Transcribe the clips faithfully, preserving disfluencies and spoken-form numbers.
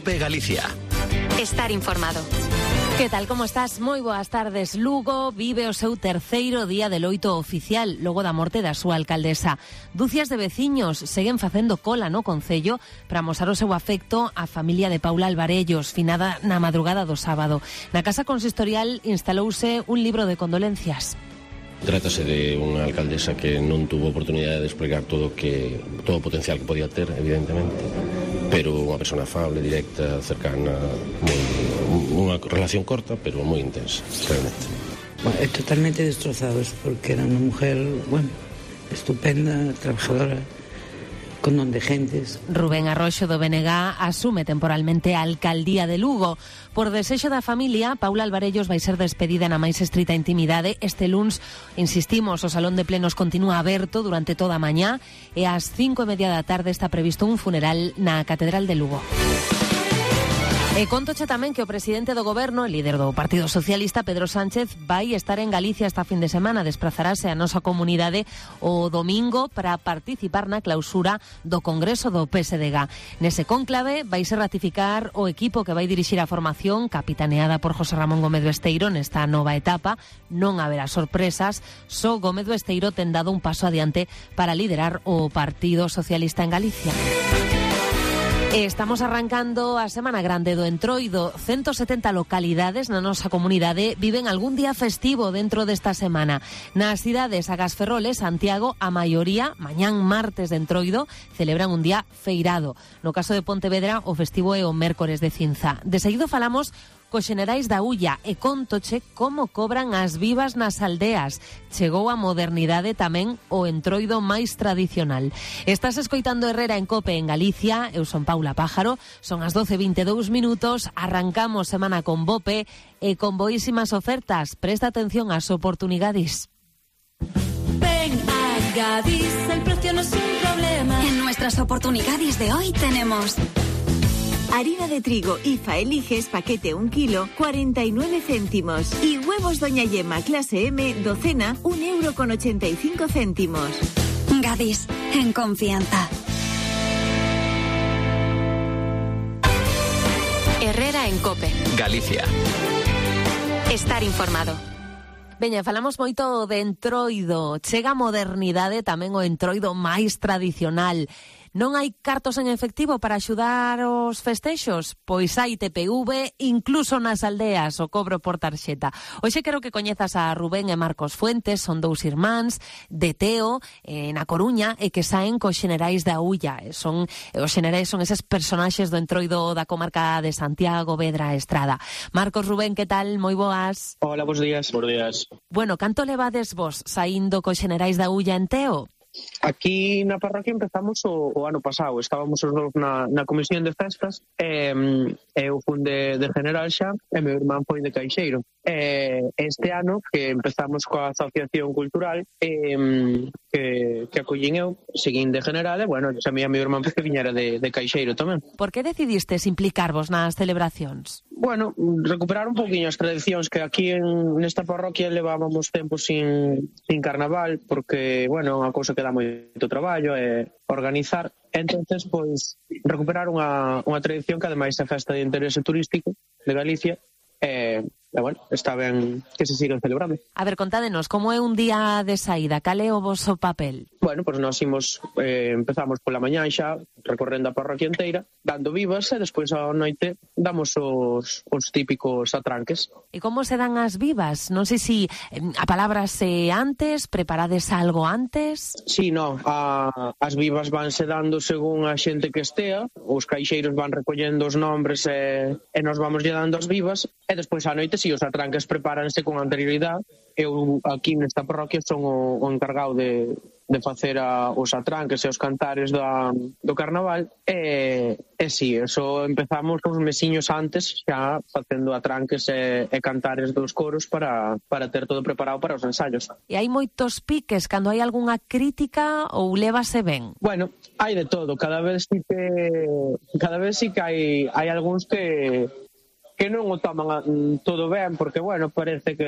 COPE Galicia. Estar informado. Que tal, como estás? Moi boas tardes. Lugo vive o seu terceiro día de loito oficial logo da morte da súa alcaldesa. Dúcias de veciños seguen facendo cola no concello para amosar o seu afecto á familia de Paula Alvarellos, finada na madrugada do sábado. Na Casa Consistorial instalouse un libro de condolencias. Trátase de unha alcaldesa que non tuvo oportunidade de desplegar todo que todo o potencial que podía ter, evidentemente, pero unha persona afable, directa, cercana, moi, unha relación corta, pero moi intensa, realmente. Bueno, totalmente destrozados, porque era unha mujer, bueno, estupenda, trabajadora, con don de gentes. Rubén Arroxo do B N G asume temporalmente a alcaldía de Lugo. Por desexo da familia, Paula Alvarellos vai ser despedida na máis estrita intimidade. Este luns, insistimos, o Salón de Plenos continúa aberto durante toda a mañá e ás cinco e media da tarde está previsto un funeral na Catedral de Lugo. E contoche tamén que o presidente do goberno, o líder do Partido Socialista, Pedro Sánchez, vai estar en Galicia esta fin de semana. Desprazarase a nosa comunidade o domingo para participar na clausura do Congreso do P S D G. Nese cónclave vai se ratificar o equipo que vai dirixir a formación, capitaneada por José Ramón Gómez Besteiro nesta nova etapa. Non haberá sorpresas, só Gómez Besteiro ten dado un paso adiante para liderar o Partido Socialista en Galicia. Estamos arrancando a Semana Grande do Entroido. ciento setenta localidades na nosa comunidade viven algún día festivo dentro desta semana. Nas cidades Agás Ferrol e Santiago, a maioría, mañán martes de Entroido, celebran un día feirado. No caso de Pontevedra, o festivo é o mércores de Cinza. De seguido falamos cos xenerais da Ulla e contoche como cobran as vivas nas aldeas. Chegou a modernidade tamén o Entroido máis tradicional. Estás escoitando Herrera en Cope en Galicia. Eu son Paula Pájaro. Son as doce e vinte e dous minutos. Arrancamos semana con Bope e con boísimas ofertas. Presta atención ás oportunidades. Ven a Gadis, el precio no es un problema. En nuestras oportunidades de hoy tenemos harina de trigo I F A Eliges paquete un kilo, cuarenta y nueve céntimos. Y huevos Doña Yema clase M, docena, un euro con ochenta y cinco céntimos. Gadis, en confianza. Herrera en Cope Galicia. Estar informado. Veña, falamos moito de Entroido. Chega a modernidade tamén o Entroido máis tradicional. Non hai cartos en efectivo para axudar os festexos? Pois hai T P V, incluso nas aldeas, o cobro por tarxeta. Hoxe quero que coñezas a Rubén e Marcos Fuentes, son dous irmáns de Teo, eh, na Coruña, e que saen cos xenerais da Ulla. Son, os xenerais son eses personaxes do Entroido da comarca de Santiago, Vedra, Estrada. Marcos, Rubén, que tal? Moi boas. Hola, bons días. Bons días. Bueno, canto levades vos saindo cos xenerais da Ulla en Teo? Aquí na parroquia empezamos o, o ano pasado. Estábamos os dous na, na comisión de festas. E, eu fun de, de general xa e meu irmán foi de caixeiro. E, este ano que empezamos coa asociación cultural e, que, que acollín eu, seguín de general e, bueno, xa mi a meu irmán que viñera de, de caixeiro tamén. Por que decidistes implicarvos nas celebracións? Bueno, recuperar un pouquiño as tradicións que aquí en nesta parroquia levábamos tempo sin, sin carnaval, porque, bueno, unha cousa que dá moito traballo é organizar. Entonces, pois, recuperar unha, unha tradición que ademais é festa de interese turístico de Galicia. E, e bueno, está ben que se sigan celebrando. A ver, contádenos, como é un día de saída? Cal é o voso papel? Bueno, pois pues nós imos, eh, empezamos pola mañá xa, recorrendo a parroquia inteira, dando vivas, e despois á noite damos os, os típicos atranques. E como se dan as vivas? Non sei se eh, a palabra se antes, preparades algo antes? Sí, no, a, as vivas vanse dando según a xente que estea, os caixeiros van recollendo os nombres e, e nos vamos lle dando as vivas, e despois á noite, si, os atranques prepáranse con anterioridade. Eu aquí nesta parroquia son o, o encargado de, de facer a, os atranques e os cantares da, do carnaval e, e si, eso empezamos uns mesiños antes xa facendo atranques e, e cantares dos coros para, para ter todo preparado para os ensaios. E hai moitos piques cando hai algunha crítica ou lévase ben? Bueno, hai de todo, cada vez sí que cada vez sí que hai, hai algúns que que non o toman todo ben, porque, bueno, parece que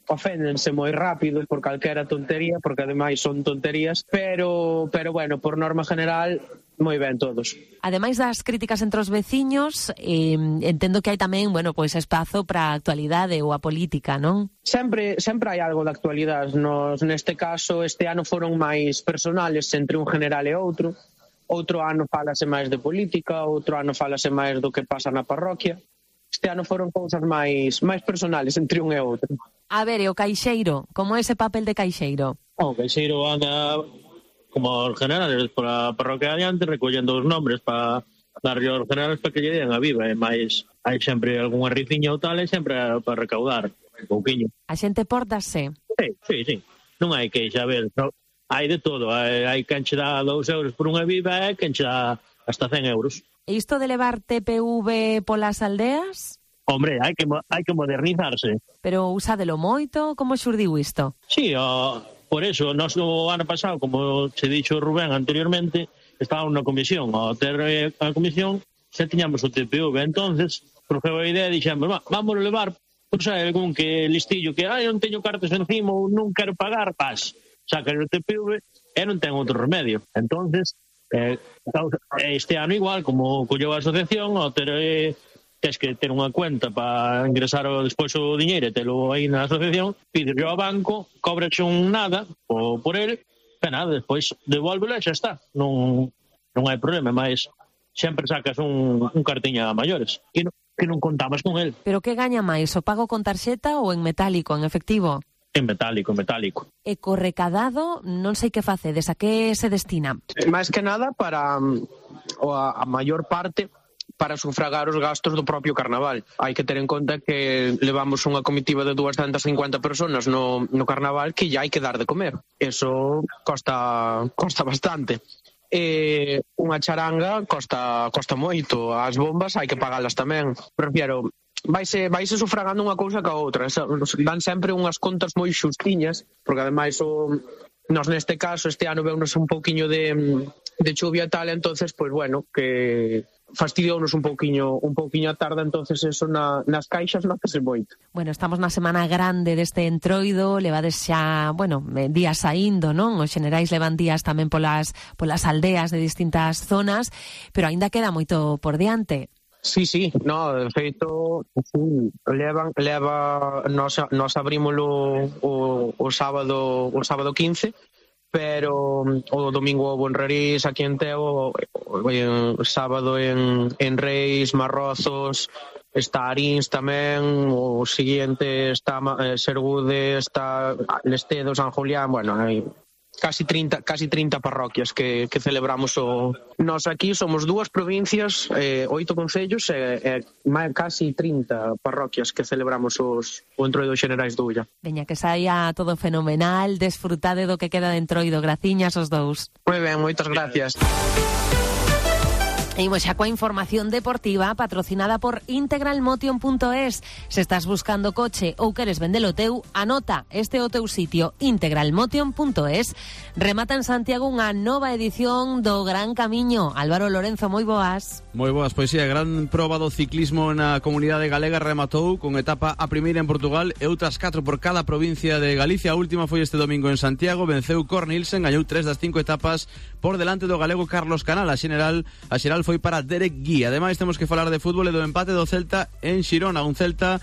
oféndense moi rápido por calquera tontería, porque ademais son tonterías, pero, pero bueno, por norma general, moi ben todos. Ademais das críticas entre os veciños, eh, entendo que hai tamén, bueno, pois espazo para a actualidade ou a política, non? Sempre sempre hai algo de actualidade. Nos, neste caso, este ano foron máis personales entre un general e outro. Outro ano falase máis de política, outro ano falase máis do que pasa na parroquia. Este ano foron cousas máis máis personales entre un e outro. A ver, e o caixeiro, como é ese papel de caixeiro? O caixeiro anda como os generales por a parroquia adiante recollendo os nombres para darlle aos generales para que lle den a viva, e máis hai sempre algunha riciña ou tal e sempre para recaudar un pouquiño. A xente pórtase? Sí, sí, sí. Non hai queixa, a ver, no, hai de todo. Hai, hai quen che dá dous euros por unha viva e quen che dá hasta cen euros. E isto de levar T P V polas aldeas? Hombre, hai que, hai que modernizarse. Pero usadelo moito? Como xurdiu isto? Sí, o, por eso, nós o ano pasado, como se dixo Rubén anteriormente, estaba unha comisión. Ao ter a comisión, xa tiñamos o T P V. Entonces, surgiu a idea e dixemos, va, vamos a levar, por sei, algún que listillo que, ai, non teño cartas encima ou non quero pagar, pas, saca o T P V e non ten outro remedio. Entonces, eh, este ano igual, como colleu a asociación, ao ter... Eh, tens que ter unha cuenta para ingresar o, despois o diñeiro e telo aí na asociación, pides ao banco, cobras un nada o por ele, e nada, despois devolvelo e xa está. Non, non hai problema, mas sempre sacas un, un cartiña a maiores, que non, que non contamos con el. Pero que gaña máis, o pago con tarxeta ou en metálico, en efectivo? En metálico, en metálico. E co recadado, non sei que facedes, a que se destina? Máis que nada para o a, a maior parte para sufragar os gastos do propio carnaval. Hai que ter en conta que levamos unha comitiva de doscientas cincuenta personas no, no carnaval que ya hai que dar de comer. Eso costa, costa bastante. E unha charanga costa, costa moito. As bombas hai que pagalas tamén. Prefiero, vaise, vaise sufragando unha cousa ca outra. Dan sempre unhas contas moi xustiñas, porque ademais o... Nos neste caso, este ano veunos un pouquiño de, de chuvia tal, entonces, pois pues, bueno, que fastidiounos un pouquiño un pouquiño a tarde, entonces eso na, nas caixas non pese moito. Bueno, estamos na semana grande deste entroido, levades xa, bueno, días saindo, non? Os xenerais levan días tamén polas, polas aldeas de distintas zonas, pero aínda queda moito por diante. Sí, sí, no, de feito, sí, levan, leva, nos, nos abrímolo o, o sábado o sábado quince, pero o domingo houve en Rarís, aquí en Teo, o, o sábado en, en Reis, Marrozos, está Arins tamén, o seguinte está eh, Sergude, está Lestedo, San Julián, bueno, hai casi trinta, casi trinta parroquias que, que celebramos o... Nos aquí somos dúas provincias, eh, oito concellos e eh, eh, casi trinta parroquias que celebramos os, o entroido xenerais do Ulla. Veña, que saia todo fenomenal, desfrutade do que queda de entroido, graciñas os dous. Moi ben, moitas gracias. E imos xa coa información deportiva patrocinada por integralmotion punto es. Se estás buscando coche ou queres vendelo teu, anota este o teu sitio, integralmotion punto es. Remata en Santiago unha nova edición do Gran Camiño. Álvaro Lorenzo, moi boas. Moi boas, pois sí, a gran proba do ciclismo na comunidade galega rematou con etapa a primeira en Portugal e outras catro por cada provincia de Galicia. A última foi este domingo en Santiago, venceu Cornilsen, gañou tres das cinco etapas por delante do galego Carlos Canal. A xeral, a xeral foi para Derek Guía. Ademais temos que falar de fútbol e do empate do Celta en Xirona, un Celta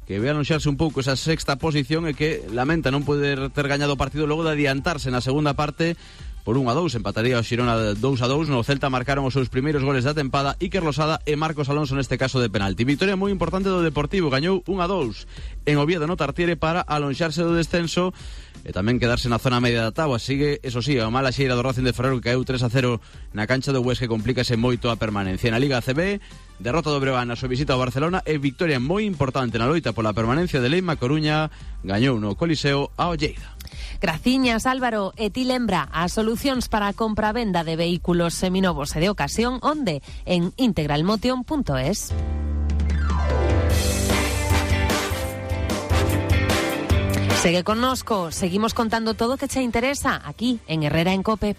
que ve anunciarse un pouco esa sexta posición e que lamenta non poder ter gañado o partido logo de adiantarse na segunda parte por un a dous, empataría o Xirona dous a dous. No Celta marcaron os seus primeiros goles da tempada Iker Losada e Marcos Alonso neste caso de penalti. Victoria moi importante do Deportivo, gañou un a dous en Oviedo no Tartiere para alonxarse do descenso e tamén quedarse na zona media da táboa. Sigue, eso sí, a mala xeira do Racing de Ferrol que caeu tres a cero na cancha do Huesca, que complícase moito a permanencia. Na Liga A C B, derrota do Breogán na súa visita ao Barcelona e victoria moi importante na loita pola permanencia de Leima Coruña, gañou no Coliseo ao Lleida. Graciñas, Álvaro. E ti lembra as solucións para a compra-venda de vehículos seminovos e de ocasión, onde? En integralmotion punto es. Segue connosco, seguimos contando todo o que che interesa aquí en Herrera en Cope.